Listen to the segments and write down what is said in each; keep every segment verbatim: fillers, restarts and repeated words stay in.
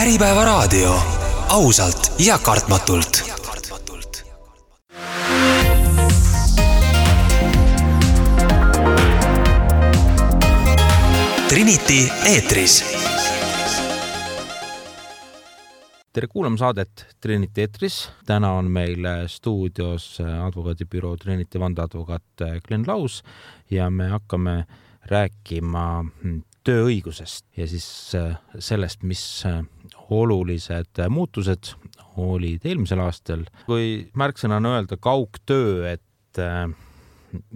Äripäeva raadio. Ausalt ja kartmatult. Trinity eetris. Tere kuulama saadet Trinity eetris. Täna on meil stuudios advokaadibüroo Trinity vandeadvokaat Glen Laus ja me hakkame rääkima tööõigusest ja siis sellest, mis olulised muutused olid eelmisel aastal. Kui märksõnana öelda kaugtöö, et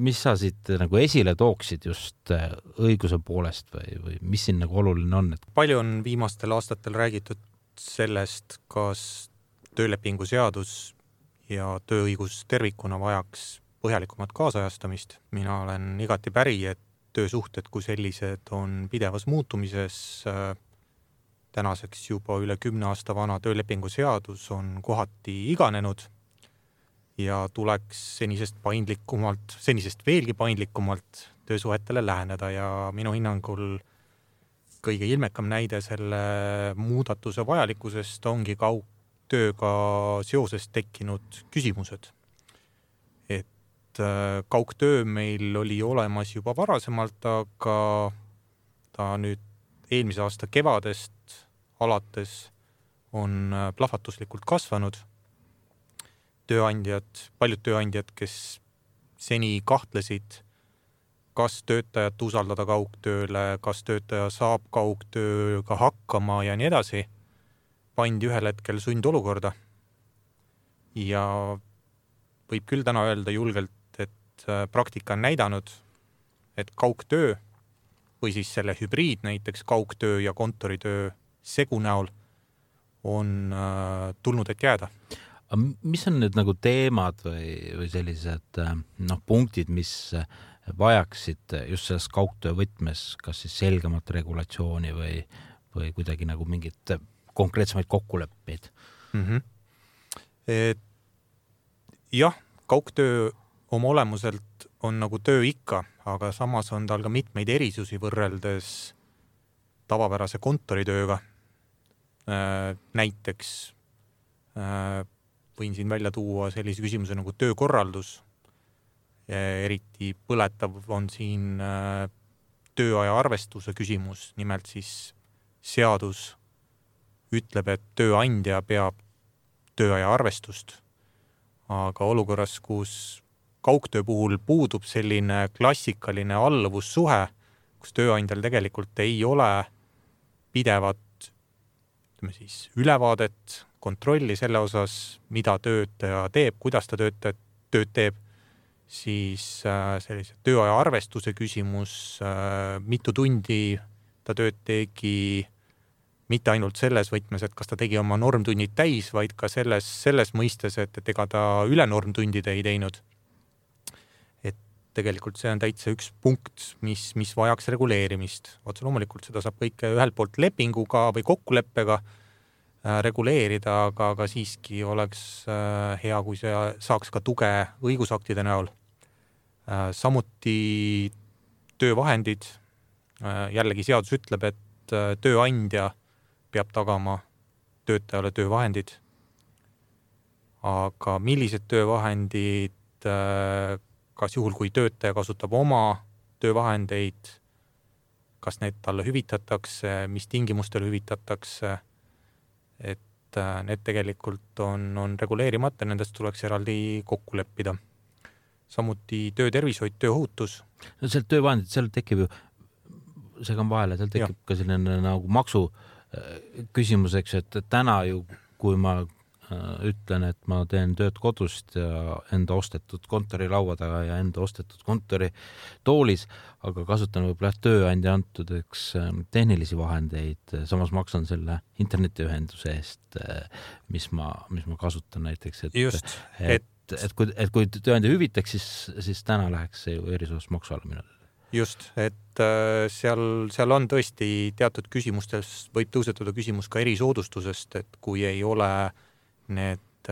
mis sa siit nagu esile tooksid just õiguse poolest või, või mis siin nagu oluline on? Et... Palju on viimastel aastatel räägitud sellest, kas töölepingu seadus ja tööõigus tervikuna vajaks põhjalikumat kaasajastamist. Mina olen igati päri, et töösuhted kui sellised on pidevas muutumises. Tänaseks juba üle kümne aasta vana töölepingu seadus on kohati iganenud ja tuleks senisest paindlikumalt, senisest veelgi paindlikumalt töösuhetele läheneda ja minu hinnangul kõige ilmekam näide selle muudatuse vajalikkusest ongi kaugtööga seoses tekkinud küsimused. Et kaugtöö meil oli olemas juba varasemalt, aga ta nüüd eelmise aasta kevadest alates on plahvatuslikult kasvanud. Tööandjad, paljud tööandjad, kes seni kahtlesid, kas töötajat usaldada kaugtööle, kas töötaja saab kaugtööga hakkama ja nii edasi, pandi ühel hetkel sundolukorda. Ja võib küll täna öelda julgelt, et praktika on näidanud, et kaugtöö või siis selle hübriid, näiteks kaugtöö ja kontoritöö segu näol on tulnud, et jääda. Mis on need nagu teemad või, või sellised no, punktid, mis vajaksid just selles kaugtöö võtmes, kas siis selgemat regulatsiooni või, või kuidagi nagu mingit konkreetsemaid kokkuleppeid? Mm-hmm. Et, jah, kaugtöö oma olemuselt on nagu töö ikka, aga samas on tal ka mitmeid erisusi võrreldes tavapärase kontoritööga. Näiteks võin siin välja tuua sellise küsimuse nagu töökorraldus. Eriti põletav on siin tööaja arvestuse küsimus. Nimelt siis seadus ütleb, et tööandja peab tööaja arvestust. Aga olukorras, kus kaugtöö puhul puudub selline klassikaline alluvussuhe, kus tööandjal tegelikult ei ole pidevat ütleme siis, ülevaadet, kontrolli selle osas, mida töötaja teeb, kuidas ta töötajat, tööd teeb, siis sellise tööaja arvestuse küsimus, mitu tundi ta tööd tegi, mitte ainult selles võtmes, et kas ta tegi oma normtunnid täis, vaid ka selles, selles mõistes, et, et ega ta üle normtundide ei teinud. Et tegelikult see on täitsa üks punkt, mis, mis vajaks reguleerimist. Otse loomulikult seda saab kõike ühelt poolt lepinguga või kokkuleppega reguleerida, aga, aga siiski oleks hea, kui see saaks ka tuge õigusaktide näol. Samuti töövahendid. Jällegi seadus ütleb, et tööandja peab tagama töötajale töövahendid. Aga millised töövahendid, kas juhul, kui töötaja kasutab oma töövahendeid, kas need talle hüvitatakse, mis tingimustel hüvitatakse, et need tegelikult on, on reguleerimata, nendest tuleks eraldi kokku leppida. Samuti töötervishoid, tööohutus. No sealt töövahendid, seal tekib ju, seega on vahele, seal tekib ja. Ka selline nagu maksu küsimuseks, et täna ju, kui ma ütlen, et ma teen tööd kodust ja enda ostetud kontori laua taga ja enda ostetud kontori toolis, aga kasutan võib-olla tööandja antud eks, tehnilisi vahendeid, samas maksan selle internetiühenduse eest, mis ma, mis ma kasutan näiteks. Et, Just, et, et, et, kui, et kui tööandja hüvitaks, siis, siis täna läheks see ju erisus maksu alla minu. Just, et seal, seal on tõesti teatud küsimustes, võib tõusetuda küsimus ka erisoodustusest, et kui ei ole need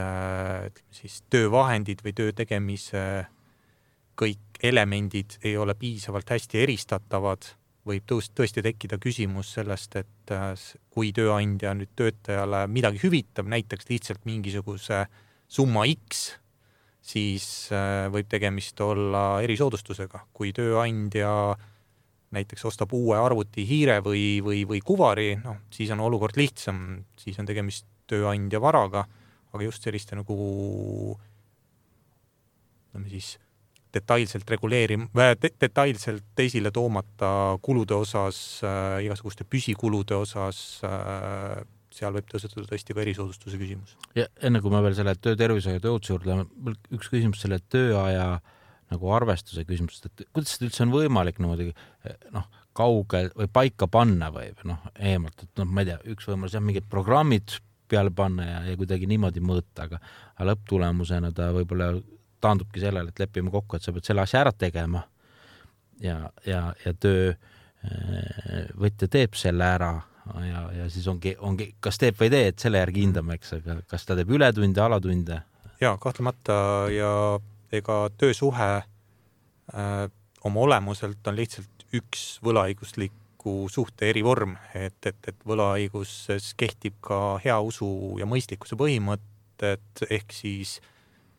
siis töövahendid või töö tegemise kõik elemendid ei ole piisavalt hästi eristatavad, võib tõesti tekkida küsimus sellest, et kui tööandja nüüd töötajale midagi hüvitab, näiteks lihtsalt mingisuguse summa X, siis võib tegemist olla erisoodustusega. Kui tööandja näiteks ostab uue arvuti hiire või, või, või kuvari, no, siis on olukord lihtsam, siis on tegemist tööandja varaga, aga just selliste nagu no, siis detailselt reguleerim-, detailselt esile toomata kulude osas, äh, igasuguste püsikulude osas, äh, seal võib tõusetuda tõesti ka erisoodustuse küsimus. Ja enne kui ma veel selle töötervise ja tööotuse juurde, üks küsimus selle tööaja nagu arvestuse küsimusest, et kuidas seda üldse on võimalik niimoodi noh, kauge või paika panna või noh, eemalt, et noh, ma ei tea, üks võimalus jah, mingid programmid peale panna ja, ja kuidagi niimoodi mõõta, aga, aga lõpptulemusena ta võib-olla taandubki sellele, et lepime kokku, et sa pead selle asja ära tegema ja, ja, ja töö võtja teeb selle ära ja, ja siis ongi, ongi, kas teeb või tee, et selle järgi hindame, eks, aga kas ta teeb ületunde, alatunde? Ja, kahtlemata ja ega töösuhe äh, oma olemuselt on lihtsalt üks võlaõigusliku suhte erivorm, et, et, et võlaõiguses kehtib ka hea usu ja mõistlikkuse põhimõtted, ehk siis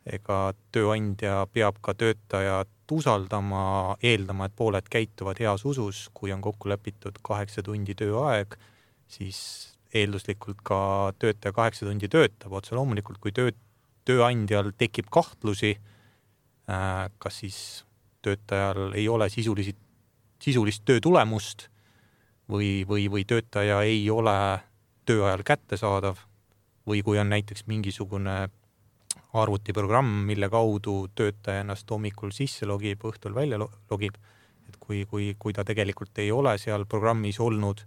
ega tööandja peab ka töötajat usaldama, eeldama, et pooled käituvad heas usus, kui on kokku lepitud kaheksa tundi tööaeg, siis eelduslikult ka töötaja kaheksa tundi töötab, otse loomulikult, kui töö, tööandjal tekib kahtlusi, kas siis töötajal ei ole sisulisi, sisulist töö tulemust või, või, või töötaja ei ole tööajal kättesaadav või kui on näiteks mingisugune arvutiprogramm, mille kaudu töötaja ennast hommikul sisse logib, õhtul välja logib, et kui, kui, kui ta tegelikult ei ole seal programmis olnud,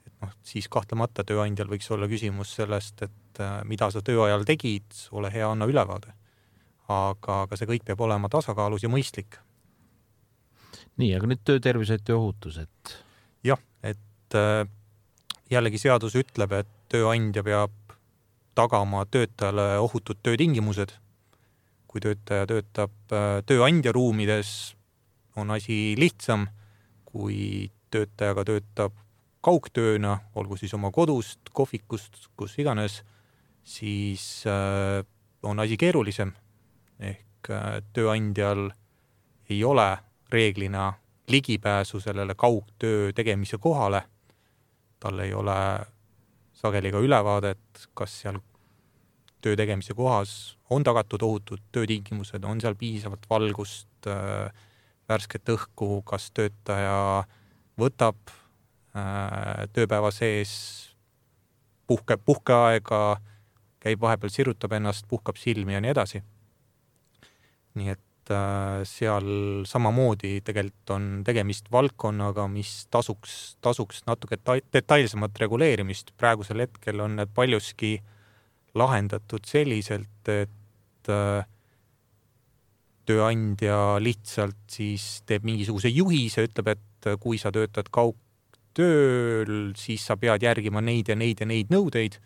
et noh, siis kahtlemata tööandjal võiks olla küsimus sellest, et mida sa tööajal tegid, ole hea, anna ülevaade. Aga, aga see kõik peab olema tasakaalus ja mõistlik. Nii, aga nüüd töötervise ja tööohutus, et... Jah, et jällegi seadus ütleb, et tööandja peab tagama töötajale ohutud töötingimused. Kui töötaja töötab tööandja ruumides, on asi lihtsam, kui töötajaga töötab kaugtööna, olgu siis oma kodust, kohvikust, kus iganes, siis on asi keerulisem. Ehk tööandjal ei ole reeglina ligipääsu sellele kaugtöö tegemise kohale. Tal ei ole sageli ka ülevaadet, kas seal töö tegemise kohas on tagatud ohutud töötingimused, on seal piisavalt valgust, värsket õhku, kas töötaja võtab tööpäeva sees puhke, puhkeaega, käib vahepeal, sirutab ennast, puhkab silmi ja nii edasi. Nii et äh, seal samamoodi tegelikult on tegemist valdkonnaga, mis tasuks, tasuks natuke detailsemat reguleerimist. Praegusel hetkel on need paljuski lahendatud selliselt, et äh, tööandja lihtsalt siis teeb mingisuguse juhise, ütleb, et kui sa töötad kaugtööl, siis sa pead järgima neid ja neid ja neid nõudeid.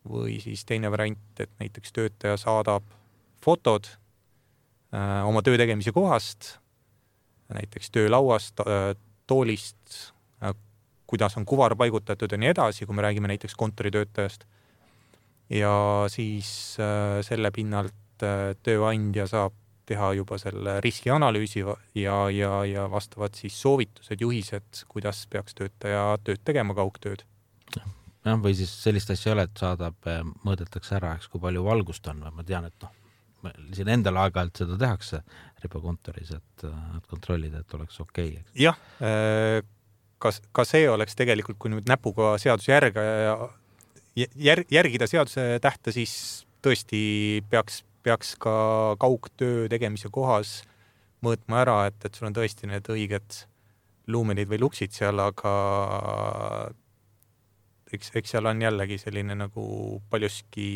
Või siis teine variant, et näiteks töötaja saadab fotod oma töö tegemise kohast, näiteks töölauast, toolist, kuidas on kuvar paigutatud ja nii edasi, kui me räägime näiteks kontoritöötajast. Ja siis selle pinnalt tööandja saab teha juba selle riskianalüüsi ja, ja, ja vastavad siis soovitused, juhised, kuidas peaks töötaja tööd tegema kaugtööd. Ja, või siis sellist asja ei ole, et saadab, mõõdetakse ära, eks, kui palju valgust on. Ma tean, et noh, siin endal aeg-ajalt seda tehakse ribakontoris, et, et kontrollida, et oleks okei. Okay. Jah, ka, ka see oleks tegelikult, kui nüüd näpuga seaduse järga ja jär, järgida seaduse tähte, siis tõesti peaks, peaks ka kaugtöö tegemise kohas mõõtma ära, et, et sul on tõesti need õiged luumenid või luksid seal, aga eks, eks seal on jällegi selline nagu paljuski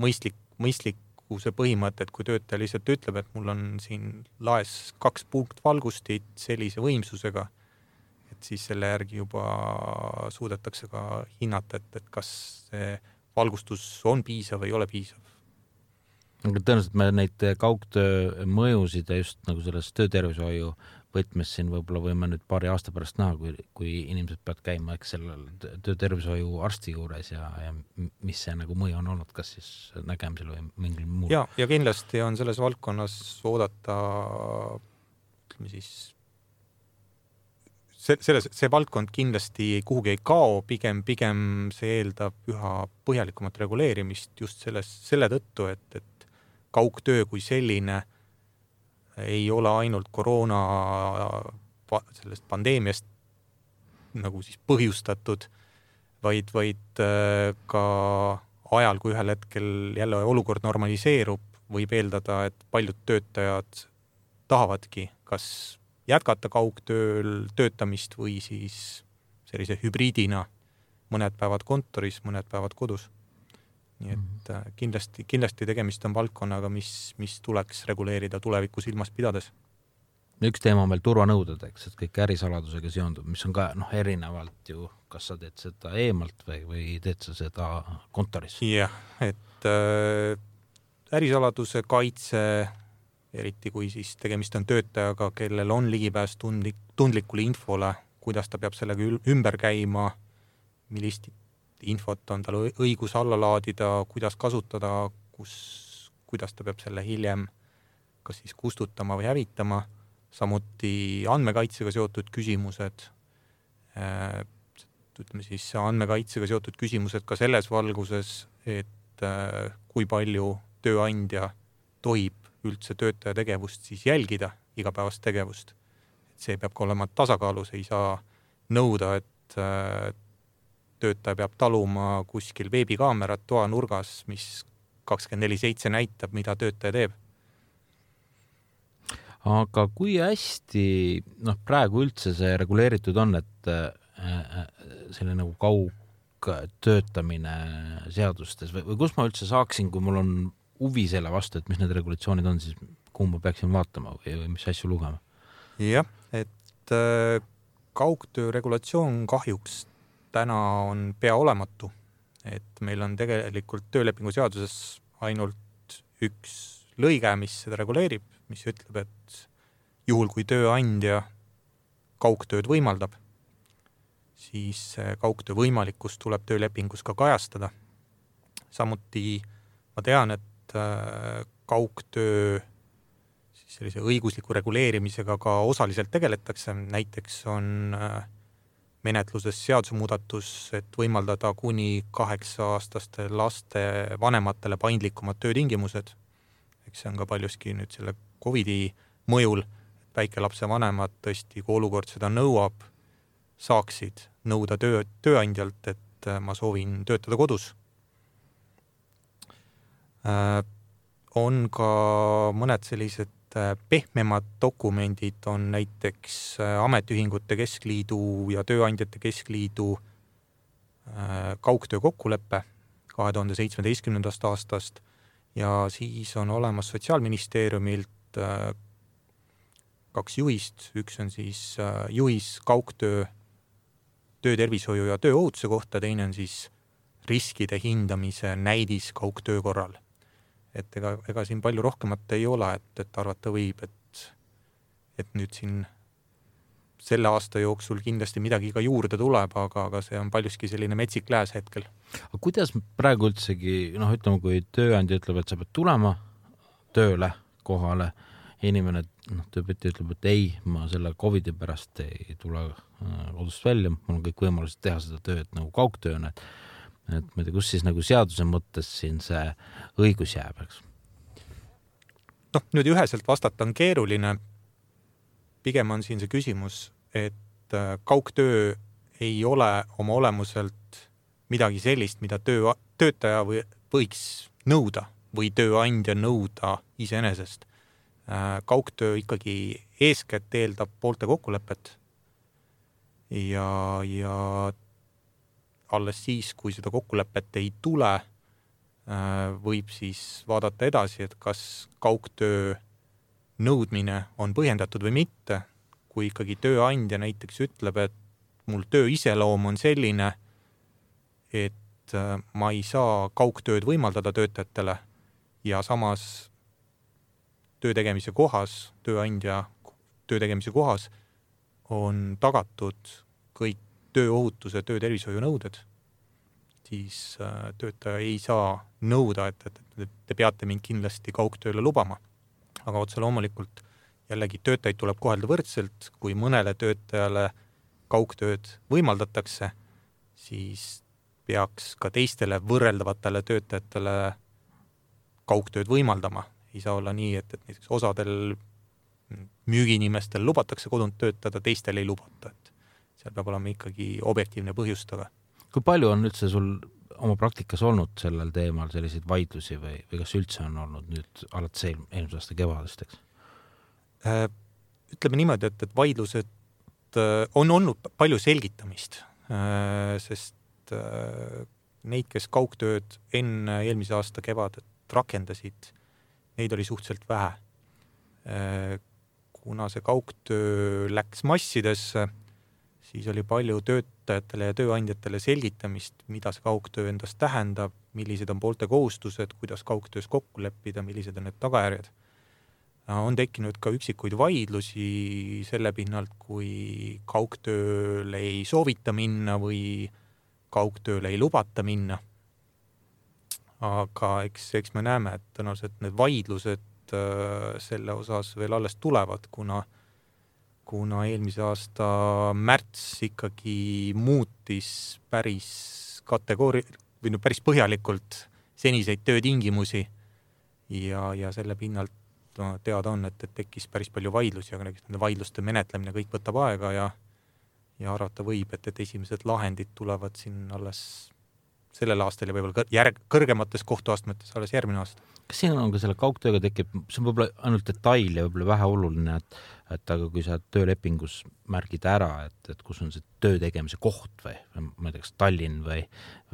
mõistlik, mõistlik see põhimõte, et kui töötaja lihtsalt ütleb, et mul on siin laes kaks punkt valgustit sellise võimsusega, et siis selle järgi juba suudetakse ka hinnata, et, et kas see valgustus on piisav või ei ole piisav. Tõenäoliselt me neid kaugtöö mõjusid ja just nagu selles töötervishoiu võtmes siin võib-olla võime nüüd paari aasta pärast näha, kui, kui inimesed peavad käima eks sellel töötervishoiu arsti juures ja, ja mis see nagu mõju on olnud, kas siis nägemisel või mingil muul? Ja, ja kindlasti on selles valdkonnas oodata, ütleme siis, see, selles, see valdkond kindlasti kuhugi ei kao, pigem, pigem see eeldab üha põhjalikumat reguleerimist just selles, selle tõttu, et, et kaugtöö kui selline ei ole ainult koroona sellest pandeemiast nagu siis põhjustatud, vaid, vaid ka ajal, kui ühel hetkel jälle olukord normaliseerub, võib eeldada, et paljud töötajad tahavadki kas jätkata kaugtööl töötamist või siis sellise hübriidina mõned päevad kontoris, mõned päevad kodus. Nii et kindlasti, kindlasti tegemist on valdkonnaga, mis, mis tuleks reguleerida tuleviku silmas pidades. Üks teema on veel turvanõuded, eks, et kõik ärisaladusega seondub, mis on ka noh, erinevalt ju, kas sa teed seda eemalt või, või teed sa seda kontoris? Jah, et äh, ärisaladuse kaitse, eriti kui siis tegemist on töötajaga, kellel on ligipääs tundlik, tundlikule infole, kuidas ta peab sellega ümber käima, millist infot on tal õigus alla laadida, kuidas kasutada, kus, kuidas ta peab selle hiljem kas siis kustutama või hävitama, samuti andmekaitsega seotud küsimused, ütleme siis andmekaitsega seotud küsimused ka selles valguses, et kui palju tööandja tohib üldse töötaja tegevust siis jälgida, igapäevast tegevust. See peab ka olema tasakaalus, ei saa nõuda, et töötaja peab taluma kuskil veebikaamerat toa nurgas, mis kakskümmend neli seitse näitab, mida töötaja teeb. Aga kui hästi noh, praegu üldse see reguleeritud on, et selle nagu kaugtöötamine seadustes või, või kus ma üldse saaksin, kui mul on huvi selle vastu, et mis need regulatsioonid on, siis kuhu ma peaksin vaatama või, või mis asju lugema? Jah, et kaugtöö regulatsioon kahjuks täna on pea olematu, et meil on tegelikult töölepingu seaduses ainult üks lõige, mis seda reguleerib, mis ütleb, et juhul kui tööandja kaugtööd võimaldab, siis kaugtöö võimalikkus tuleb töölepingus ka kajastada. Samuti ma tean, et kaugtöö siis sellise õigusliku reguleerimisega ka osaliselt tegeletakse, näiteks on menetluses seadusemuudatus, et võimaldada kuni kaheksa-aastaste laste vanematele paindlikumad töötingimused. Eks see on ka paljuski nüüd selle Covidi mõjul, et väikelapse vanemad tõesti, kui olukord seda nõuab, saaksid nõuda töö, tööandjalt, et ma soovin töötada kodus. On ka mõned sellised pehmemad dokumendid, on näiteks Ametiühingute Keskliidu ja Tööandjate Keskliidu kaugtöö kokkuleppe kahe tuhande seitsmeteistkümnendast aastast ja siis on olemas Sotsiaalministeeriumilt kaks juhist, üks on siis juhis kaugtöö töötervishoiu ja tööohutuse kohta, teine on siis riskide hindamise näidis kaugtöö korral. Et ega, ega siin palju rohkemat ei ole, et, et arvata võib, et, et nüüd siin selle aasta jooksul kindlasti midagi ka juurde tuleb, aga, aga see on paljuski selline metsik lääs hetkel. Aga kuidas praegu üldsegi, noh ütleme, kui tööandja ütleb, et sa pead tulema tööle kohale, inimene noh, tööpeti ütleb, et ei, ma selle Covidi pärast ei tule kodust välja, mul on kõik võimalused teha seda tööd nagu kaugtööna, et et ma ei tea, kus siis nagu seaduse mõttes siin see õigus jääb, eks? Noh, nüüd üheselt vastata on keeruline. Pigem on siin see küsimus, et kaugtöö ei ole oma olemuselt midagi sellist, mida töö, töötaja või, võiks nõuda või tööandja nõuda iseenesest. Kaugtöö ikkagi eeskätt eeldab poolte kokkulepet ja, ja alles siis, kui seda kokkulepet ei tule, võib siis vaadata edasi, et kas kaugtöö nõudmine on põhjendatud või mitte. Kui ikkagi tööandja näiteks ütleb, et mul töö iseloom on selline, et ma ei saa kaugtööd võimaldada töötajatele ja samas töö tegemise kohas tööandja töö tegemise kohas on tagatud kõik tööohutuse, töötervishoiu nõuded, siis töötaja ei saa nõuda, et, et, et te peate mind kindlasti kaugtööle lubama. Aga otse loomulikult jällegi töötajaid tuleb kohelda võrdselt, kui mõnele töötajale kaugtööd võimaldatakse, siis peaks ka teistele võrreldavatele töötajatele kaugtööd võimaldama. Ei saa olla nii, et, et näiteks osadel müügiinimestel lubatakse kodunt töötada, teistel ei lubata. Et seal peab olema ikkagi objektiivne põhjustaga. Kui palju on üldse sul oma praktikas olnud sellel teemal selliseid vaidlusi või, või kas üldse on olnud nüüd alates eelmise aasta kevadest, eks? Ütleme niimoodi, et, et vaidlused on olnud palju selgitamist, sest neid, kes kaugtööd enne eelmise aasta kevadet rakendasid, neid oli suhteliselt vähe. Kuna see kaugtöö läks massidesse, siis oli palju töötajatele ja tööandjatele selgitamist, mida see kaugtöö endast tähendab, millised on poolte kohustused, kuidas kaugtöös kokku leppida, millised on need tagajärjed. On tekkinud ka üksikuid vaidlusi selle pinnalt, kui kaugtööle ei soovita minna või kaugtööle ei lubata minna. Aga eks, eks me näeme, et tõenäoliselt need vaidlused selle osas veel alles tulevad, kuna kuna eelmise aasta märts ikkagi muutis päris kategoori või no päris põhjalikult seniseid töötingimusi ja, ja selle pinnalt no, teada on, et, et tekkis päris palju vaidlusi, aga nende vaidluste menetlemine kõik võtab aega ja, ja arvata võib, et, et esimesed lahendid tulevad siin alles sellel aastal ja võib-olla järg, kõrgemates kohtuastmetes alles järgmine aasta. Kas siin on ka selle kaugtööga tekib, see on võib-olla ainult detail ja võib-olla vähe oluline, et, et aga kui sa töölepingus märgid ära, et, et kus on see töö tegemise koht või, või ma ei tea, kas Tallinn või,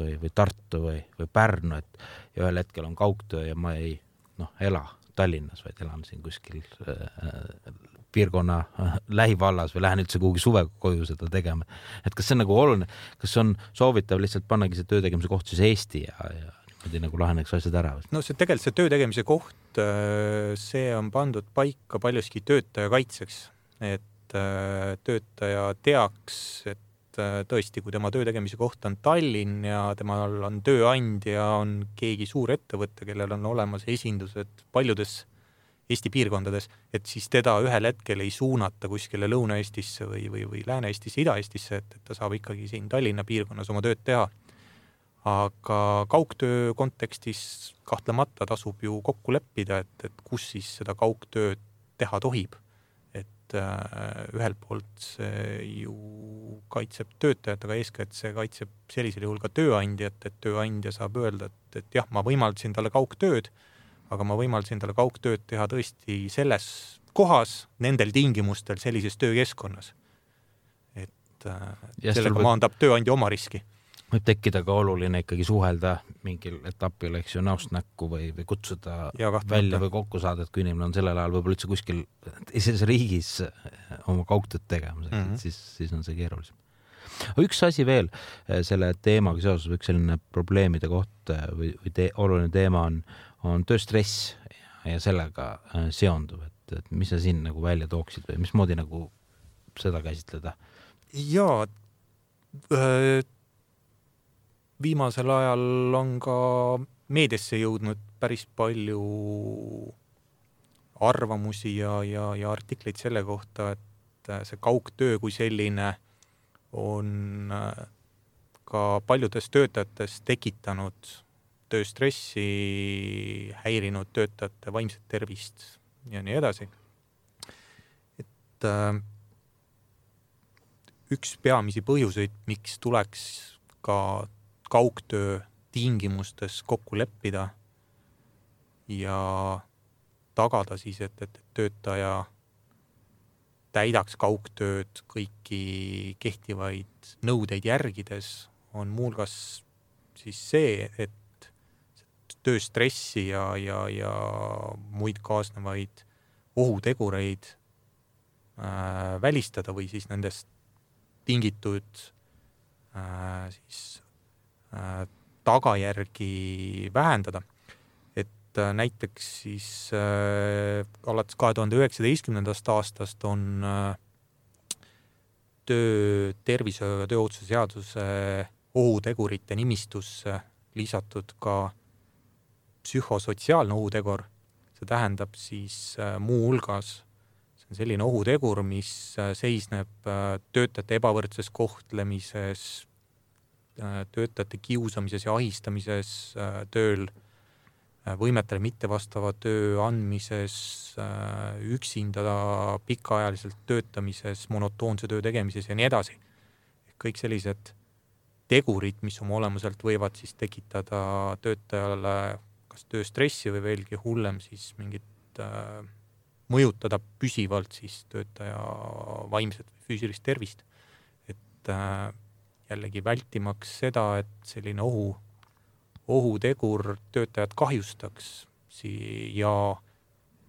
või, või Tartu või, või Pärnu, et ja ühel hetkel on kaugtöö ja ma ei noh, ela Tallinnas, vaid elan siin kuskil äh, piirkonna äh, lähivallas või lähen üldse kuhugi suve koju seda tegema. Et kas see on nagu oluline, kas on soovitav lihtsalt pannagi see töö tegemise koht siis Eesti ja, ja niimoodi nagu laheneks asjad ära? No see tegelikult see töö tegemise koht, see on pandud paika paljuski töötaja kaitseks, et töötaja teaks, et tõesti, kui tema töö tegemise koht on Tallinn ja temal on tööandja, on keegi suur ettevõte, kellel on olemas esindused paljudes Eesti piirkondades, et siis teda ühel hetkel ei suunata kuskile Lõuna-Eestisse või, või, või Lääne-Eestisse, Ida-Eestisse, et, et ta saab ikkagi siin Tallinna piirkonnas oma tööd teha. Aga kaugtöö kontekstis kahtlemata tasub ju kokku leppida, et, et kus siis seda kaugtööd teha tohib. Et äh, ühelt poolt see ju kaitseb töötajat, aga eeskätt see kaitseb sellisel juhul ka tööandjat, et tööandja saab öelda, et, et jah, ma võimaldasin talle kaugtööd, aga ma võimaldasin talle kaugtööd teha tõesti selles kohas, nendel tingimustel, sellises töökeskkonnas. Et äh, sellega või... maandab tööandja oma riski. Võib tekkida ka oluline ikkagi suhelda mingil etapil, eks ju, näost näkku või, või kutsuda välja või kokku saada, et kui inimene on sellel ajal võib-olla üldse kuskil teises riigis oma kaugtööd tegemas, mm -hmm. siis, siis on see keerulisem. Üks asi veel selle teemaga seoses, üks selline probleemide koht või, või te, oluline teema on, on tööstress ja, ja sellega seonduv, et, et mis sa siin nagu välja tooksid või mismoodi nagu seda käsitleda? Jaa, äh, viimasel ajal on ka meediasse jõudnud päris palju arvamusi ja, ja, ja artikleid selle kohta, et see kaugtöö kui selline on ka paljudes töötajates tekitanud tööstressi, häirinud töötajate vaimset tervist ja nii edasi. Et äh, üks peamisi põhjuseid, miks tuleks ka kaugtöö tingimustes kokku leppida ja tagada siis, et, et töötaja täidaks kaugtööd kõiki kehtivaid nõudeid järgides, on muulgas siis see, et tööstressi ja, ja, ja muid kaasnevaid ohutegureid äh, välistada või siis nendest tingitud äh, siis tagajärgi vähendada. Et näiteks siis äh, alates kahe tuhande üheksateistkümnendast aastast on äh, töö tervishoiu ja tööohutuse seaduse ohutegurite nimistusse lisatud ka psühhosotsiaalne ohutegur. See tähendab siis äh, muu hulgas, see on selline ohutegur, mis äh, seisneb äh, töötajate ebavõrdses kohtlemises, äh, töötajate kiusamises ja ahistamises äh, tööl, võimetele mittevastava töö andmises, üksinda pikaajaliselt töötamises, monotoonse töö tegemises ja nii edasi. Kõik sellised tegurid, mis oma olemuselt võivad siis tekitada töötajale kas tööstressi või veelgi hullem siis mingit äh, mõjutada püsivalt siis töötaja vaimset või füüsilist tervist. Et äh, jällegi vältimaks seda, et selline ohu ohutegur töötajad kahjustaks ja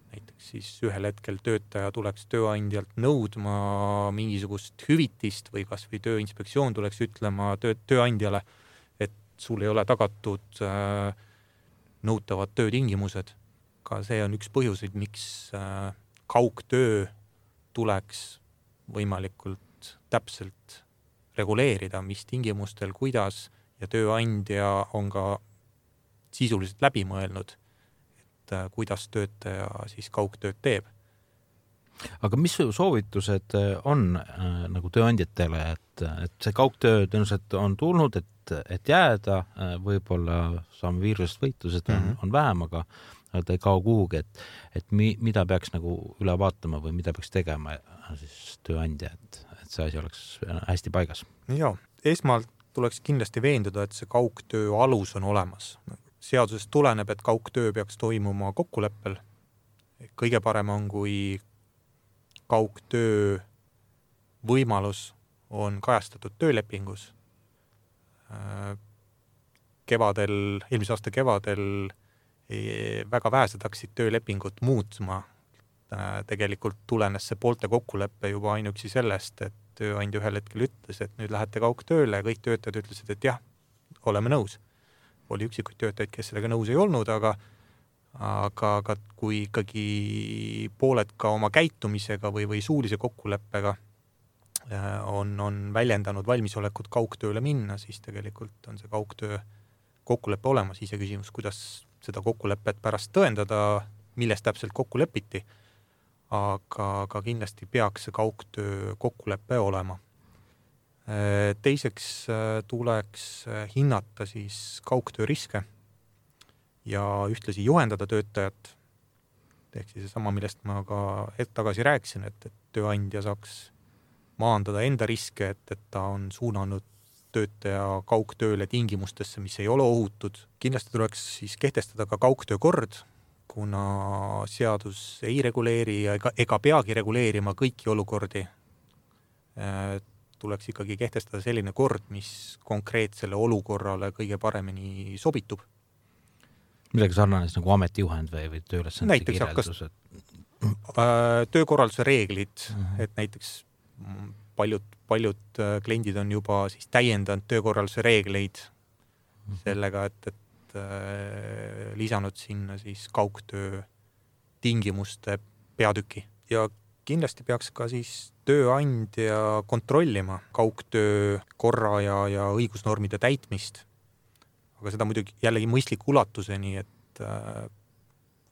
näiteks siis ühel hetkel töötaja tuleks tööandjalt nõudma mingisugust hüvitist või kas või tööinspektsioon tuleks ütlema töö, tööandjale, et sul ei ole tagatud äh, nõutavad töötingimused. Ka see on üks põhjuseid, miks äh, kaugtöö tuleks võimalikult täpselt reguleerida, mis tingimustel, kuidas, ja tööandja on ka sisuliselt läbi mõelnud, et kuidas töötaja siis kaugtööd teeb. Aga mis soovitused on äh, nagu tööandjatele, et, et see kaugtöö tõenäoliselt on tulnud, et, et jääda, äh, võib-olla saame viirusest võitu, seda mm-hmm. on, on vähem, aga ta ei kao kuhugi, et, et mi, mida peaks nagu üle vaatama või mida peaks tegema siis tööandja, et, et see asi oleks hästi paigas? Joo, esmalt tuleks kindlasti veenduda, et see kaugtöö alus on olemas. Seadusest tuleneb, et kaugtöö peaks toimuma kokkuleppel. Kõige parem on, kui kaugtöö võimalus on kajastatud töölepingus. Kevadel, eelmise aasta kevadel väga vähesed hakkasid töölepingut muutma. Tegelikult tulenes see poolte kokkuleppe juba ainuüksi sellest, et tööandja ühel hetkel ütles, et nüüd lähete kaugtööle ja kõik töötajad ütlesid, et jah, oleme nõus. Oli üksikuid töötajaid, kes sellega nõus ei olnud, aga, aga, aga kui ikkagi pooled ka oma käitumisega või, või suulise kokkuleppega on, on väljendanud valmisolekut kaugtööle minna, siis tegelikult on see kaugtöö kokkuleppe olemas. Ise küsimus, kuidas seda kokkulepet pärast tõendada, milles täpselt kokku lepiti, aga, aga kindlasti peaks see kaugtöö kokkulepe olema. Teiseks tuleks hinnata siis kaugtöö riske ja ühtlasi juhendada töötajat. Ehk siis sama, millest ma ka hetk tagasi rääkisin, et, et tööandja saaks maandada enda riske, et, et ta on suunanud töötaja kaugtööle tingimustesse, mis ei ole ohutud. Kindlasti tuleks siis kehtestada ka kaugtöö kord, kuna seadus ei reguleeri ega, ega peagi reguleerima kõiki olukordi. Tuleks ikkagi kehtestada selline kord, mis konkreetsele olukorrale kõige paremini sobitub. Midagi sarnanes nagu ametijuhend või, või tööülesannete kirjeldus? Näiteks töökorralduse reeglid, mm-hmm. et näiteks paljud, paljud kliendid on juba siis täiendanud töökorralduse reegleid mm-hmm. sellega, et, et äh, lisanud sinna siis kaugtöö tingimuste peatüki. Ja kindlasti peaks ka siis tööandja kontrollima kaugtöö korra ja, ja õigusnormide täitmist. Aga seda muidugi jällegi mõistliku ulatuseni, et äh,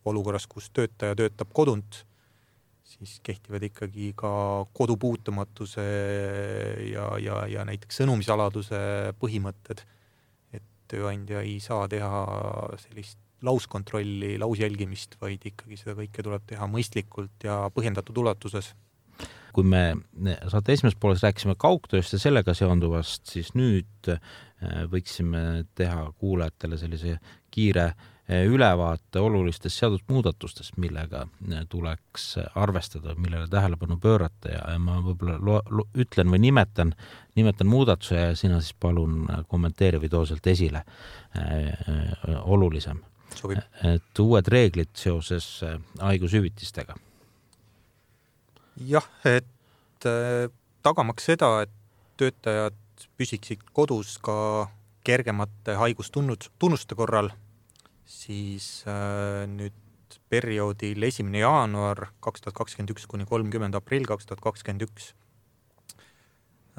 olukorras, kus töötaja töötab kodunt, siis kehtivad ikkagi ka kodupuutumatuse ja, ja, ja näiteks sõnumisaladuse põhimõtted, et tööandja ei saa teha sellist lauskontrolli, lausjälgimist, vaid ikkagi seda kõike tuleb teha mõistlikult ja põhjendatud ulatuses. Kui me saate esimeses pooles rääkisime kaugtööst ja sellega seonduvast, siis nüüd võiksime teha kuulajatele sellise kiire ülevaate olulistest seadusmuudatustest, millega tuleks arvestada, millele tähelepanu pöörata ja ma võib-olla lo, lo, ütlen või nimetan, nimetan muudatuse ja sina siis palun kommenteeri või too sealt esile äh, olulisem. Sobib. Et uued reeglid seoses haigushüvitistega. Jah, et äh, tagamaks seda, et töötajad püsiksid kodus ka kergemate haigustunnuste korral, siis äh, nüüd perioodil esimene jaanuar kaks tuhat kakskümmend üks kuni kolmkümmend aprill kaks tuhat kakskümmend üks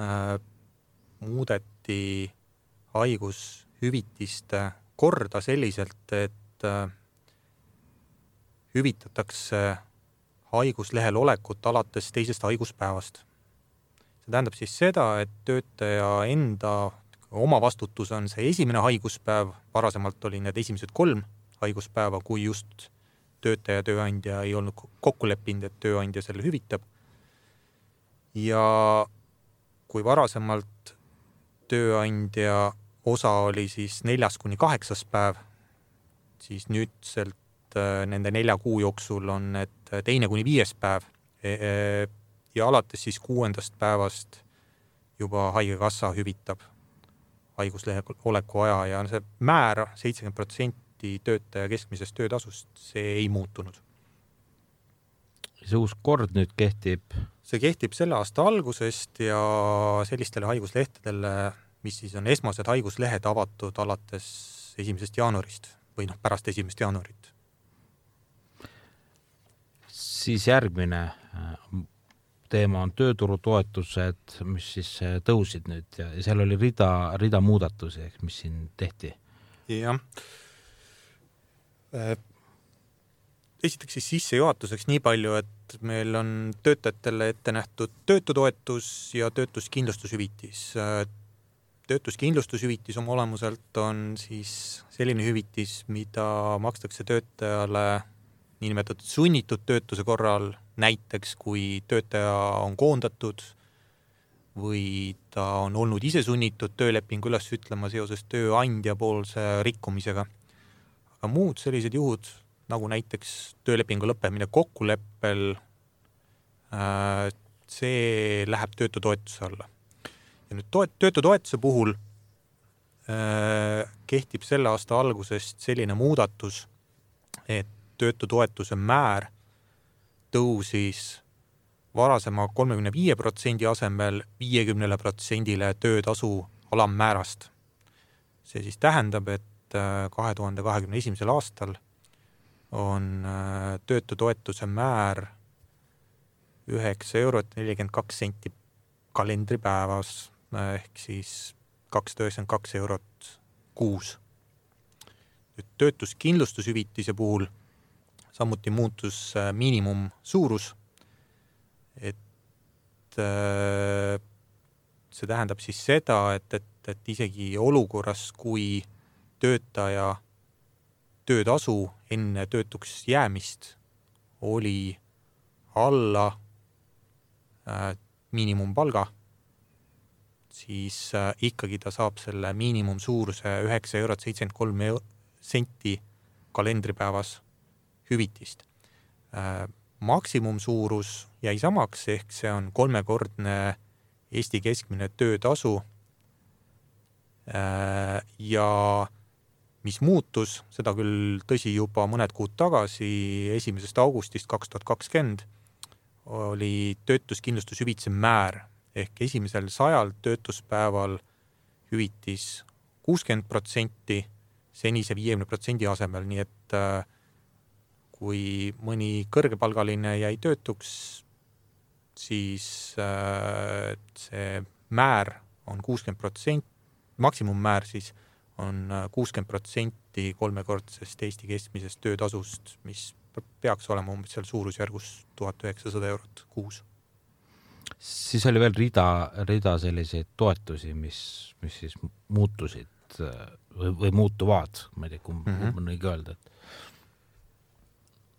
äh, muudeti haigushüvitiste korda selliselt, et äh, hüvitatakse haiguslehel olekut alates teisest haiguspäevast. See tähendab siis seda, et töötaja enda oma vastutus on see esimene haiguspäev, varasemalt oli need esimesed kolm haiguspäeva, kui just töötaja tööandja ei olnud kokku leppinud, et tööandja selle hüvitab. Ja kui varasemalt tööandja osa oli siis neljas kuni kaheksas päev, siis nüüdselt nende nelja kuu jooksul on need teine kuni viies päev ja alates siis kuuendast päevast juba haigekassa hüvitab haiguslehe oleku aja ja see määr seitsekümmend protsenti töötaja keskmisest töötasust, see ei muutunud. See uus kord nüüd kehtib? See kehtib selle aasta algusest ja sellistele haiguslehtedele, mis siis on esmased haiguslehed avatud alates esimesest jaanuarist või noh, pärast esimest jaanuarit. Siis järgmine teema on tööturutoetused, mis siis tõusid nüüd ja seal oli rida, rida muudatusi, mis siin tehti. Jah. Esiteks siis sissejuhatuseks nii palju, et meil on töötajatele ette nähtud töötutoetus ja töötuskindlustushüvitis. Töötuskindlustushüvitis oma olemuselt on siis selline hüvitis, mida makstakse töötajale niinimetatud sunnitud töötuse korral, näiteks kui töötaja on koondatud või ta on olnud ise sunnitud töölepingu üles ütlema seoses tööandja poolse rikkumisega. Aga muud sellised juhud, nagu näiteks töölepingu lõppemine kokkuleppel, see läheb töötutoetuse alla. Ja nüüd toet, töötutoetuse puhul kehtib selle aasta algusest selline muudatus, et töötutoetuse määr tõusis varasema kolmekümne viie protsendi asemel viiekümne protsendile töötasu alammäärast. See siis tähendab, et kahe tuhande kahekümne esimesel aastal on töötutoetuse määr üheksa eurot nelikümmend kaks senti kalendripäevas ehk siis kakssada üheksakümmend kaks eurot kuus. Nüüd töötuskindlustushüvitise puhul samuti muutus miinimum suurus, et see tähendab siis seda, et, et, et isegi olukorras, kui töötaja töötasu enne töötuks jäämist oli alla miinimumpalga, siis ikkagi ta saab selle miinimum suuruse üheksa eurot seitsekümmend kolm senti kalendripäevas hüvitist. Maksimum suurus jäi samaks, ehk see on kolmekordne Eesti keskmine töötasu ja mis muutus, seda küll tõsi juba mõned kuud tagasi, esimesest augustist kaks tuhat kakskümmend oli töötuskindlustushüvitise määr ehk esimesel sajal töötuspäeval hüvitis kuuskümmend protsenti senise viiekümne protsendi asemel, nii et kui mõni kõrgepalgaline jäi töötuks, siis see määr on kuuskümmend protsenti, maksimummäär siis on kuuskümmend protsenti kolmekordsest Eesti keskmisest töötasust, mis peaks olema umbes seal suurusjärgus tuhat üheksasada eurot kuus. Siis oli veel rida, rida selliseid toetusi, mis, mis siis muutusid või, või muutuvad, ma ei tea, kui mm-hmm. on õige öelda, et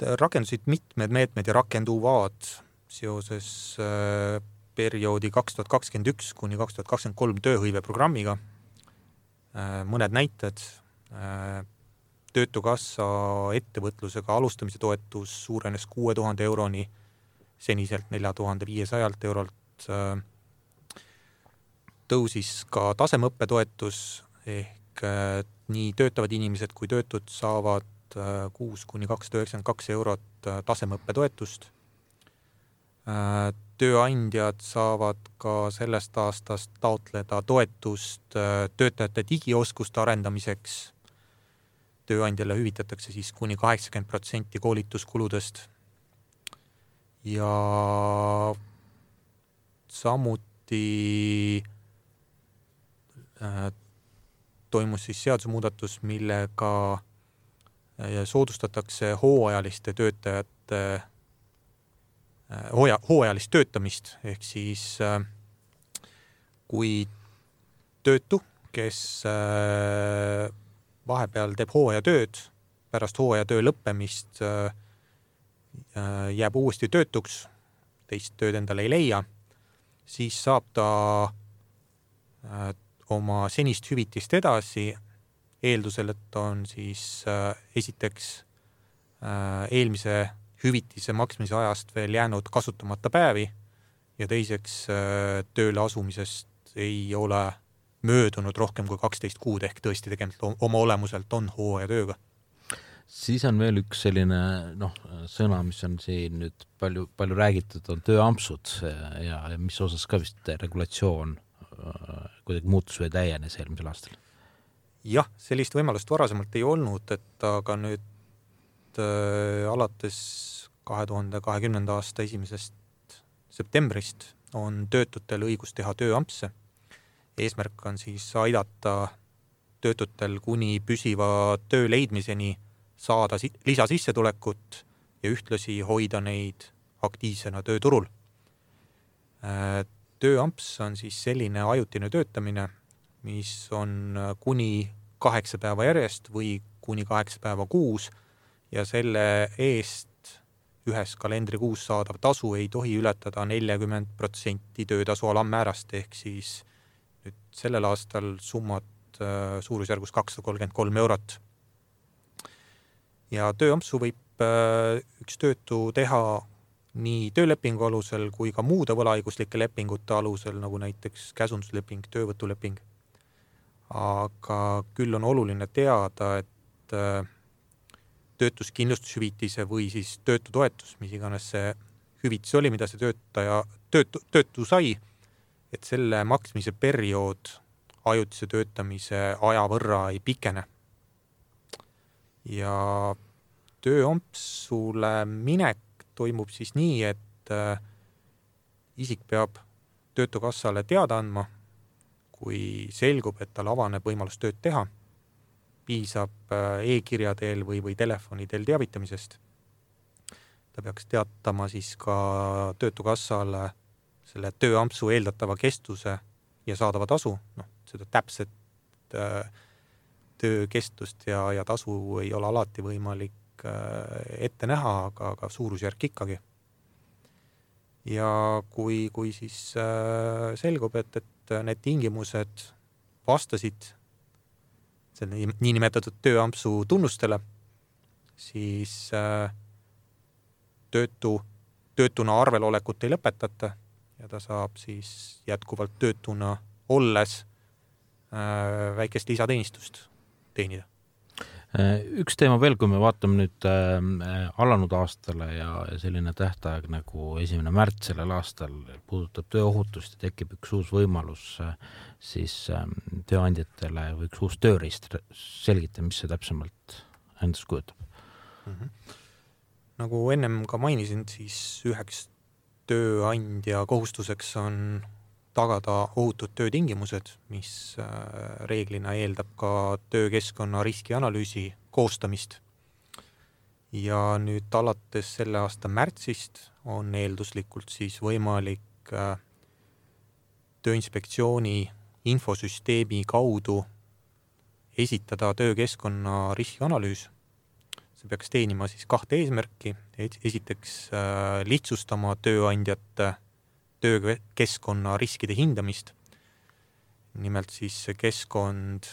rakendusid mitmed meetmed ja rakenduvad seoses perioodi kaks tuhat kakskümmend üks kuni kaks tuhat kakskümmend kolm tööhõive programmiga. Mõned näited. Töötukassa ettevõtlusega alustamise toetus suurenes kuue tuhande euroni seniselt nelja tuhande viiesajalt eurolt. Tõusis ka tasemeõppetoetus ehk nii töötavad inimesed kui töötud saavad kuus kuni kakssada üheksakümmend kaks eurot tasemeõppetoetust. Tööandjad saavad ka sellest aastast taotleda toetust töötajate digioskuste arendamiseks. tööandjale hüvitatakse siis kuni kaheksakümmend protsenti koolituskuludest ja samuti äh, toimus siis seadusemuudatus, millega soodustatakse hooajaliste töötajate hooaja, hooajalist töötamist, ehk siis äh, kui töötu, kes äh, vahepeal teeb hooajatööd, pärast hooajatöö lõppemist äh, jääb uuesti töötuks, teist tööd endale ei leia, siis saab ta äh, oma senist hüvitist edasi, eeldusel, et on siis äh, esiteks äh, eelmise hüvitise maksmise ajast veel jäänud kasutamata päevi ja teiseks äh, tööle asumisest ei ole möödunud rohkem kui kaksteist kuud, ehk tõesti tegelikult oma olemuselt on hooajatööga. Siis on veel üks selline noh, sõna, mis on siin nüüd palju, palju räägitud, on tööampsud ja, ja mis osas ka vist regulatsioon kuidagi muutus või täienes eelmisel aastal? Jah, sellist võimalust varasemalt ei olnud, et aga nüüd äh, alates kahe tuhande kahekümnenda aasta esimesest septembrist on töötutel õigus teha tööampse. Eesmärk on siis aidata töötutel kuni püsiva töö leidmiseni saada lisasissetulekut ja ühtlasi hoida neid aktiivsena tööturul. Tööamps on siis selline ajutine töötamine, mis on kuni kaheksa päeva järjest või kuni kaheksa päeva kuus ja selle eest ühes kalendrikuus saadav tasu ei tohi ületada nelikümmend protsenti töötasu alammäärast, ehk siis nüüd sellel aastal summad suurusjärgus kakssada kolmkümmend kolm eurot. Ja tööampsu võib üks töötu teha nii töölepingu alusel kui ka muude võlaõiguslike lepingute alusel, nagu näiteks käsundusleping, töövõtuleping. Aga küll on oluline teada, et töötuskindlustushüvitise või siis töötutoetus, mis iganes see hüvitis oli, mida see töötaja, töötu, töötu sai, et selle maksmise periood ajutise töötamise aja võrra ei pikene. Ja tööampsule minek toimub siis nii, et isik peab töötukassale teada andma, kui selgub, et tal avaneb võimalus tööd teha, piisab e-kirja teel või, või telefoni teel teavitamisest. Ta peaks teatama siis ka töötukassale selle tööampsu eeldatava kestuse ja saadava tasu, noh, seda täpset äh, töö kestust ja, ja tasu ei ole alati võimalik äh, ette näha, aga, aga suurusjärk ikkagi. Ja kui, kui siis äh, selgub, et, et need tingimused vastasid selle niinimetatud tööampsu tunnustele, siis äh, töötu, töötuna arvelolekut ei lõpetata ja ta saab siis jätkuvalt töötuna olles äh, väikest lisateenistust teenida. Üks teema veel, kui me vaatame nüüd äh, alanud aastale ja, ja selline tähtaeg nagu esimene märts sellel aastal puudutab tööohutust ja tekib üks uus võimalus äh, siis äh, tööandjatele või üks uus tööriist. Selgita, mis see täpsemalt endast kujutab. Mm-hmm. Nagu ennem ka mainisin, siis üheks tööandja kohustuseks on tagada ohutud töötingimused, mis reeglina eeldab ka töökeskkonna riskianalüüsi koostamist. Ja nüüd alates selle aasta märtsist on eelduslikult siis võimalik Tööinspektsiooni infosüsteemi kaudu esitada töökeskkonna riskianalüüs. See peaks teenima siis kahte eesmärki. Esiteks lihtsustama tööandjate töökeskkonna riskide hindamist. Nimelt siis keskkond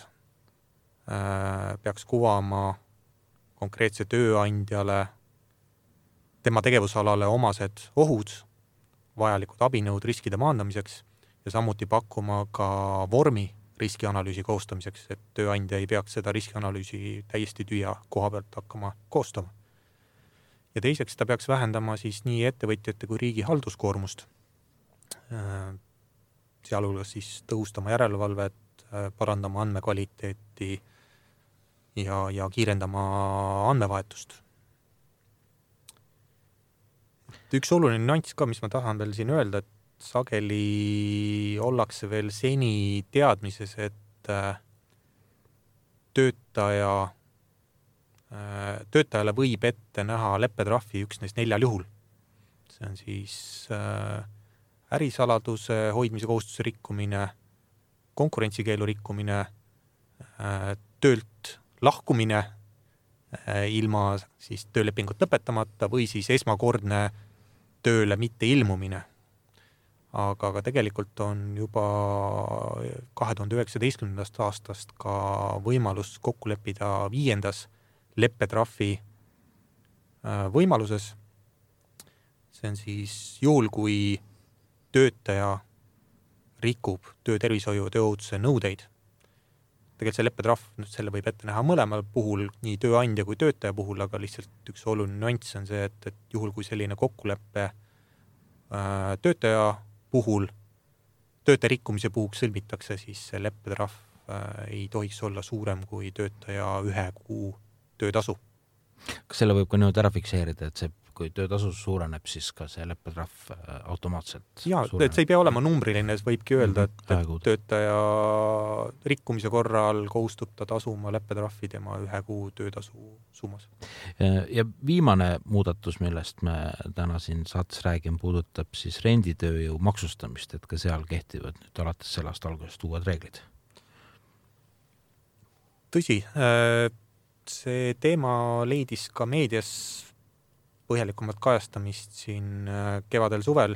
äh, peaks kuvama konkreetse tööandjale tema tegevusalale omased ohud, vajalikud abinõud riskide maandamiseks ja samuti pakkuma ka vormi riskianalüüsi koostamiseks, et tööandja ei peaks seda riskianalüüsi täiesti tühja koha pealt hakkama koostama. Ja teiseks ta peaks vähendama siis nii ettevõtjate kui riigi halduskoormust, sealhulgas siis tõhustama järelevalvet, parandama andmekvaliteeti ja, ja kiirendama andmevahetust. Üks oluline nüanss ka, mis ma tahan veel siin öelda, et sageli ollakse veel seni teadmises, et töötaja, töötajale võib ette näha leppetrahvi üksnes neljal juhul. See on siis ärisaladuse hoidmise kohustuse rikkumine, konkurentsikeelu rikkumine, töölt lahkumine ilma siis töölepingut lõpetamata või siis esmakordne tööle mitte ilmumine. Aga, aga tegelikult on juba kahe tuhande üheksateistkümnendast aastast ka võimalus kokku leppida viiendas leppetrahvi võimaluses. See on siis juhul, kui töötaja rikub töötervishoiu ja tööohutuse nõudeid. Tegelikult see leppetrahv, selle võib ette näha mõlemal puhul, nii tööandja kui töötaja puhul, aga lihtsalt üks oluline nüanss on see, et, et juhul, kui selline kokkuleppe töötaja puhul, töötaja rikkumise puhuks sõlmitakse, siis see leppetrahv ei tohiks olla suurem kui töötaja ühe kuu töötasu. Kas selle võib ka nüüd ära fikseerida, et see, kui töötasu suureneb, siis ka see leppetrahv automaatselt ja, suureneb? Et see ei pea olema numbriline, see võibki öelda, et, et töötaja rikkumise korral kohustub ta tasuma leppetrahvi tema ühe kuu töötasu summas. Ja viimane muudatus, millest me täna siin saates räägime, puudutab siis renditööjõu maksustamist, et ka seal kehtivad nüüd alates sellest algusest uued reeglid. Tõsi, see teema leidis ka meedias põhjalikumat kajastamist siin kevadel suvel,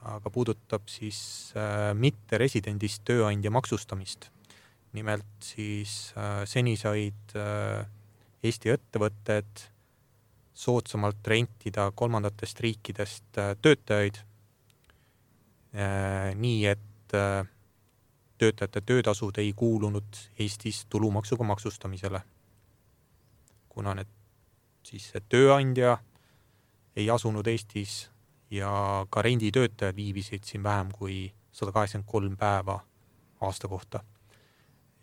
aga puudutab siis mitte residendist tööandja maksustamist. Nimelt siis seni said Eesti ettevõtted soodsamalt rentida kolmandatest riikidest töötajaid, nii et töötajate töötasud ei kuulunud Eestis tulumaksuga maksustamisele. Kuna need siis see tööandja ei asunud Eestis ja ka renditöötajad viibisid siin vähem kui sada kaheksakümmend kolm päeva aasta kohta.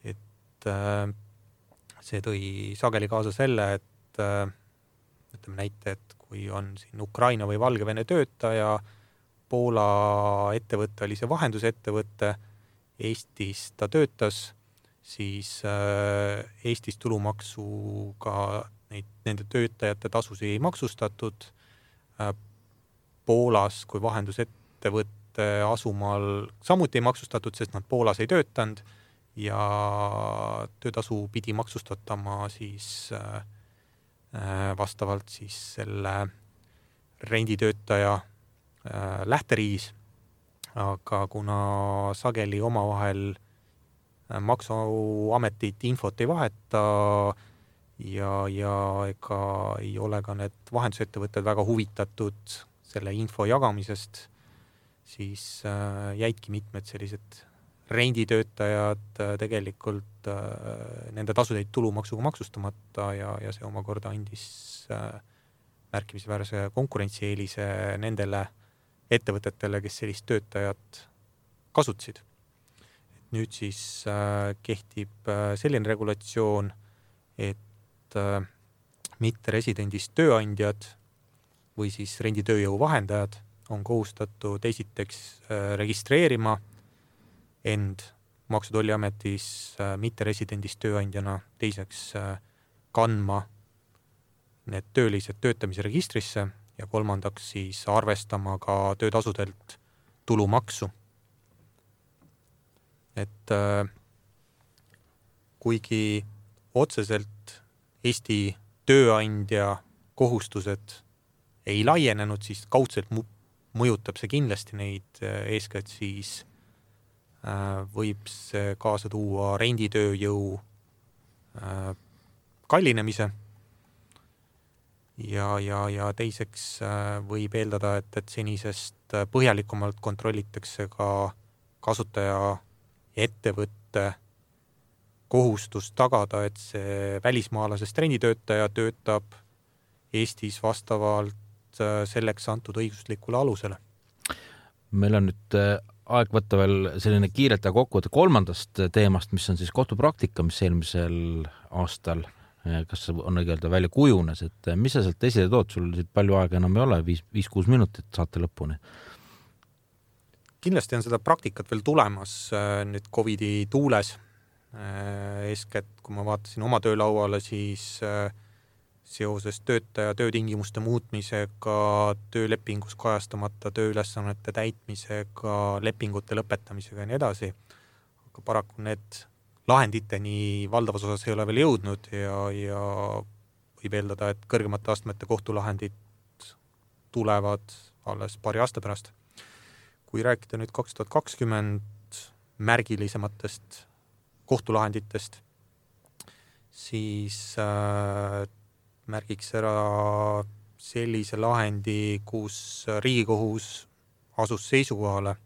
Et see tõi sageli kaasa selle, et ütleme näite, et kui on siin Ukraina või Valgevene töötaja, Poola ettevõtte oli see vahendusettevõtte, Eestis ta töötas, siis Eestis tulumaksuga neid, nende töötajate tasusi ei maksustatud. Poolas kui vahendusettevõtte asumaal samuti ei maksustatud, sest nad Poolas ei töötanud ja töötasu pidi maksustatama siis vastavalt siis selle renditöötaja lähteriis. Aga kuna sageli omavahel maksuametit infot ei vaheta ja, ja ega ei ole ka need vahendusettevõtted väga huvitatud selle info jagamisest, siis jäidki mitmed sellised renditöötajad tegelikult nende tasudeid tulumaksuga maksustamata ja, ja see omakorda andis märkimisväärse konkurentsieelise nendele ettevõtetele, kes sellist töötajat kasutasid. Nüüd siis kehtib selline regulatsioon, et mitte residendist tööandjad või siis renditööjõu vahendajad on kohustatud esiteks registreerima end Maksu- ja Tolliametis mitte residendist tööandjana, teiseks kandma need töölised töötamise registrisse ja kolmandaks siis arvestama ka töötasudelt tulumaksu. Et kuigi otseselt Eesti tööandja kohustused ei laienenud, siis kaudselt mõjutab see kindlasti neid, eeskätt siis võib see kaasa tuua renditööjõu kallinemise ja, ja, ja teiseks võib eeldada, et, et senisest põhjalikumalt kontrollitakse ka kasutaja ettevõtte kohustus tagada, et see välismaalasest renditöötaja töötab Eestis vastavalt selleks antud õiguslikule alusele. Meil on nüüd aeg võtta veel selline kiirelt ja kokkuvõte kolmandast teemast, mis on siis kohtupraktika, mis eelmisel aastal kas on õigelda välja kujunes, et mis sa sealt esile tood, sul siit palju aega enam ei ole, viis, viis, kuus minutit saate lõpuni. Kindlasti on seda praktikat veel tulemas nüüd Covidi tuules. Eeskätt, kui ma vaatasin oma töölauale, siis seoses töötaja töötingimuste muutmisega, töölepingus kajastamata tööülesannete täitmisega, lepingute lõpetamisega ja nii edasi. Aga paraku need lahenditeni valdavas osas ei ole veel jõudnud ja, ja võib eeldada, et kõrgemate astmete kohtulahendid tulevad alles paari aasta pärast. Kui rääkida nüüd kaks tuhat kakskümmend märgilisematest kohtulahenditest, siis äh, märgiks ära sellise lahendi, kus Riigikohus asus seisukohale,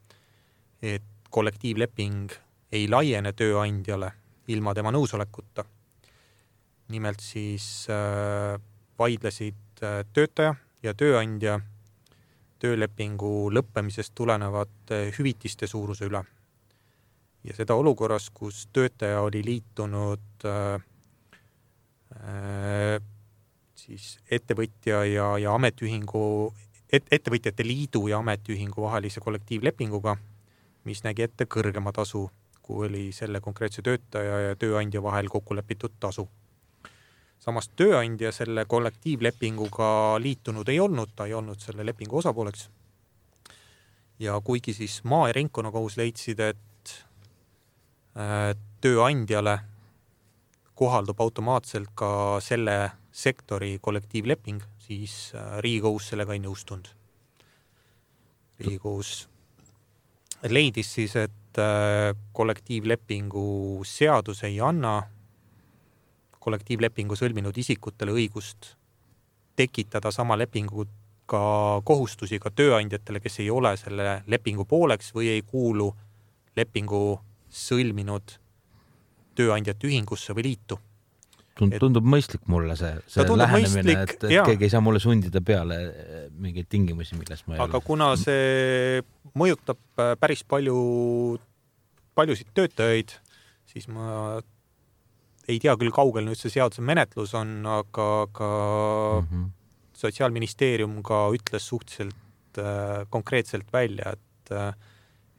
et kollektiivleping ei laiene tööandjale ilma tema nõusolekuta. Nimelt siis äh, vaidlesid äh, töötaja ja tööandja töölepingu lõppemisest tulenevate hüvitiste suuruse üle. Ja seda olukorras, kus töötaja oli liitunud äh, äh, siis ettevõtja ja, ja ametiühingu, et, ettevõtjate liidu ja ametiühingu vahelise kollektiivlepinguga, mis nägi ette kõrgema tasu, kui oli selle konkreetse töötaja ja tööandja vahel kokku lepitud tasu. Samas tööandja selle kollektiivlepinguga liitunud ei olnud, ta ei olnud selle lepingu osapooleks. Ja kuigi siis maa- ja ringkonnakohus leidsid, et tööandjale kohaldub automaatselt ka selle sektori kollektiivleping, siis Riigikohus sellega ei nõustunud. Riigikohus leidis siis, et kollektiivlepingu seadus ei anna kollektiivlepingu sõlminud isikutele õigust tekitada sama lepingu ka kohustusi ka tööandjatele, kes ei ole selle lepingu pooleks või ei kuulu lepingu sõlminud tööandjate ühingusse või liitu. Tundub et, mõistlik mulle see, see lähenemine, et, et keegi ei saa mulle sundida peale mingeid tingimusi, milles ma ei Aga ole. Kuna see mõjutab päris palju, paljusid töötajaid, siis ma ei tea küll kaugel nüüd see seaduse menetlus on, aga, aga mm-hmm. Sotsiaalministeerium ka ütles suhteliselt äh, konkreetselt välja, et äh,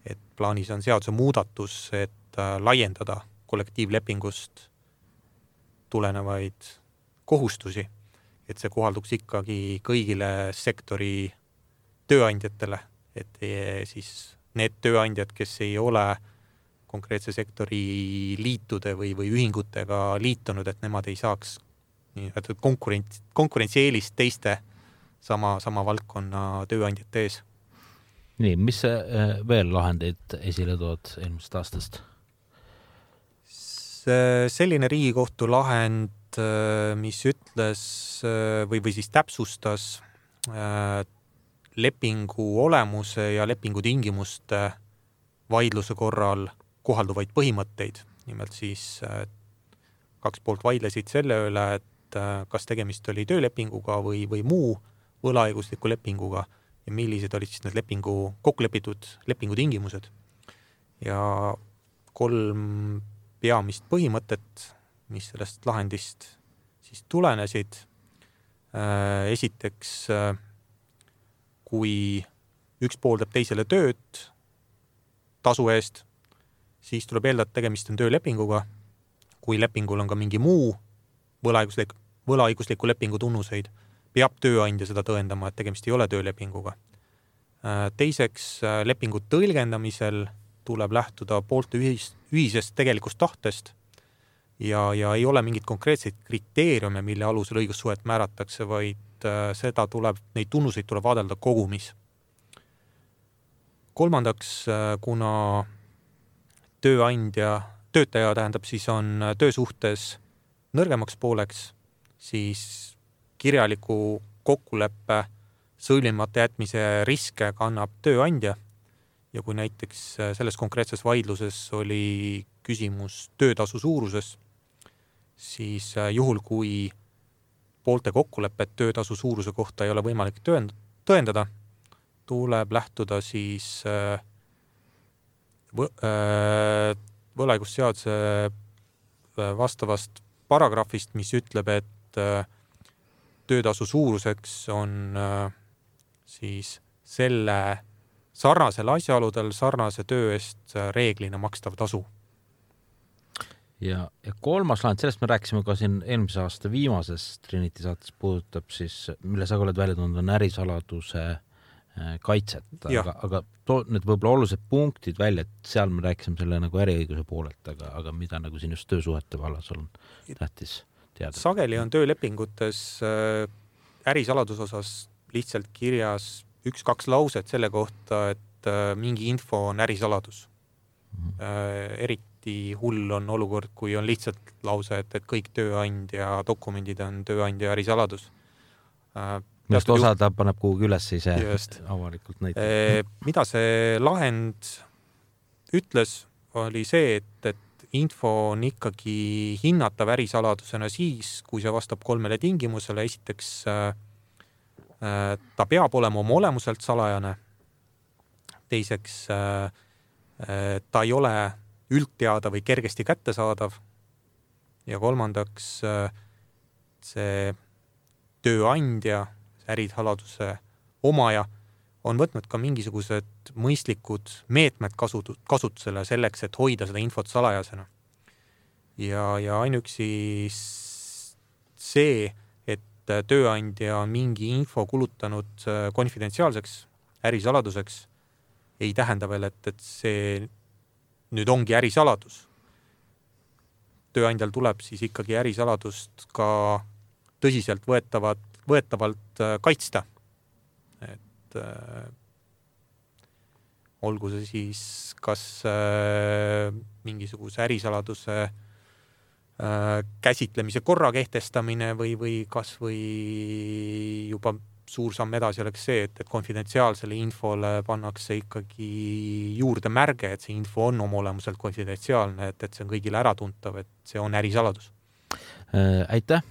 et plaanis on seaduse muudatus, et laiendada kollektiivlepingust tulenevaid kohustusi, et see kohalduks ikkagi kõigile sektori tööandjatele, et siis need tööandjad, kes ei ole konkreetse sektori liitude või, või ühingutega liitunud, et nemad ei saaks nii, konkurents, konkurentsieelist teiste sama, sama valdkonna tööandjate ees. Nii, mis veel lahendeid esile tood eelmisest aastast? Selline Riigikohtu lahend, mis ütles või, või siis täpsustas lepingu olemuse ja lepingu tingimuste vaidluse korral kohalduvaid põhimõtteid. Nimelt siis kaks poolt vaidlesid selle üle, et kas tegemist oli töölepinguga või, või muu võlaõigusliku lepinguga ja millised olid siis need lepingu, kokkulepitud lepingu tingimused. Ja kolm peamist põhimõtet, mis sellest lahendist siis tulenesid. Esiteks, kui üks pool teeb teisele tööd tasu eest, siis tuleb eeldada, et tegemist on töölepinguga. Kui lepingul on ka mingi muu võlaõiguslik, võlaõigusliku lepingu tunnuseid, peab tööandja seda tõendama, et tegemist ei ole töölepinguga. Teiseks, lepingu tõlgendamisel tuleb lähtuda poolte ühis, ühisest tegelikust tahtest ja, ja ei ole mingit konkreetseid kriteeriume, mille alusel õigussuhet määratakse, vaid seda tuleb, neid tunnuseid tuleb vaadelda kogumis. Kolmandaks, kuna tööandja, töötaja tähendab, siis on töösuhtes nõrgemaks pooleks, siis kirjaliku kokkuleppe sõlmimata jätmise riske kannab tööandja ja kui näiteks selles konkreetses vaidluses oli küsimus töötasu suuruses, siis juhul, kui poolte kokkulepet töötasu suuruse kohta ei ole võimalik tõendada, tuleb lähtuda siis võlaõigusseaduse vastavast paragrahvist, mis ütleb, et töötasu suuruseks on siis selle sarnasel asjaoludel sarnase töö eest reeglina makstav tasu. Ja, ja kolmas lahend, sellest me rääkisime ka siin eelmise aasta viimases Trinity saates, puudutab siis, mille sa oled välja toonud, on ärisaladuse kaitset, aga, aga to, need võib-olla olulised punktid välja, et seal me rääkisime selle nagu äriõiguse poolelt, aga, aga mida nagu siin just töösuhete vallas on tähtis teada. Sageli on töölepingutes ärisaladus osas lihtsalt kirjas üks-kaks lauset selle kohta, et mingi info on ärisaladus. Mm-hmm. Eriti hull on olukord, kui on lihtsalt lause, et, et kõik tööandja dokumendid on tööandja ärisaladus. Millest osa ta paneb kuhugi üles ise just avalikult näitab. Mida see lahend ütles, oli see, et, et info on ikkagi hinnatav ärisaladusena siis, kui see vastab kolmele tingimusele. Esiteks, ta peab olema oma olemuselt salajane. Teiseks, ta ei ole üldteada või kergesti kättesaadav. Ja kolmandaks, see tööandja, ärisaladuse omaja on võtnud ka mingisugused mõistlikud meetmed kasutusele selleks, et hoida seda infot salajasena. Ja, ja ainuüksi see, et tööandja on mingi info kulutanud konfidentsiaalseks ärisaladuseks, ei tähenda veel, et, et see nüüd ongi ärisaladus. Tööandjal tuleb siis ikkagi ärisaladust ka tõsiselt võetavad, võetavalt kaitsta. Et äh, olgu see siis kas äh, mingisuguse ärisaladuse äh, käsitlemise korra kehtestamine või, või kas või juba suur samm edasi oleks see, et, et konfidentsiaalsele infole pannakse ikkagi juurde märge, et see info on oma olemuselt konfidentsiaalne, et, et see on kõigile äratuntav, et see on ärisaladus. Aitäh,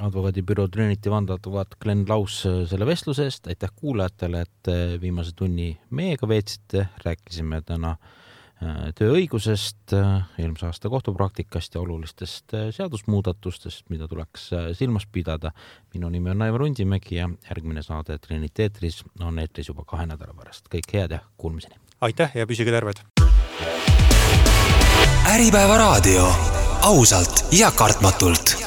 advokaadibüroo Trinity vandeadvokaat Glenn Laus selle vestluse eest. Aitäh kuulajatele, et viimase tunni meiega veetsite. Rääkisime täna tööõigusest, eelmise aasta kohtupraktikast ja olulistest seadusmuudatustest, mida tuleks silmas pidada. Minu nimi on Aivar Undimägi ja järgmine saade Trinity eetris on eetris juba kahe nädala pärast. Kõik head ja kuulmiseni. Aitäh ja püsige terved. Äripäeva raadio. Ausalt ja kartmatult.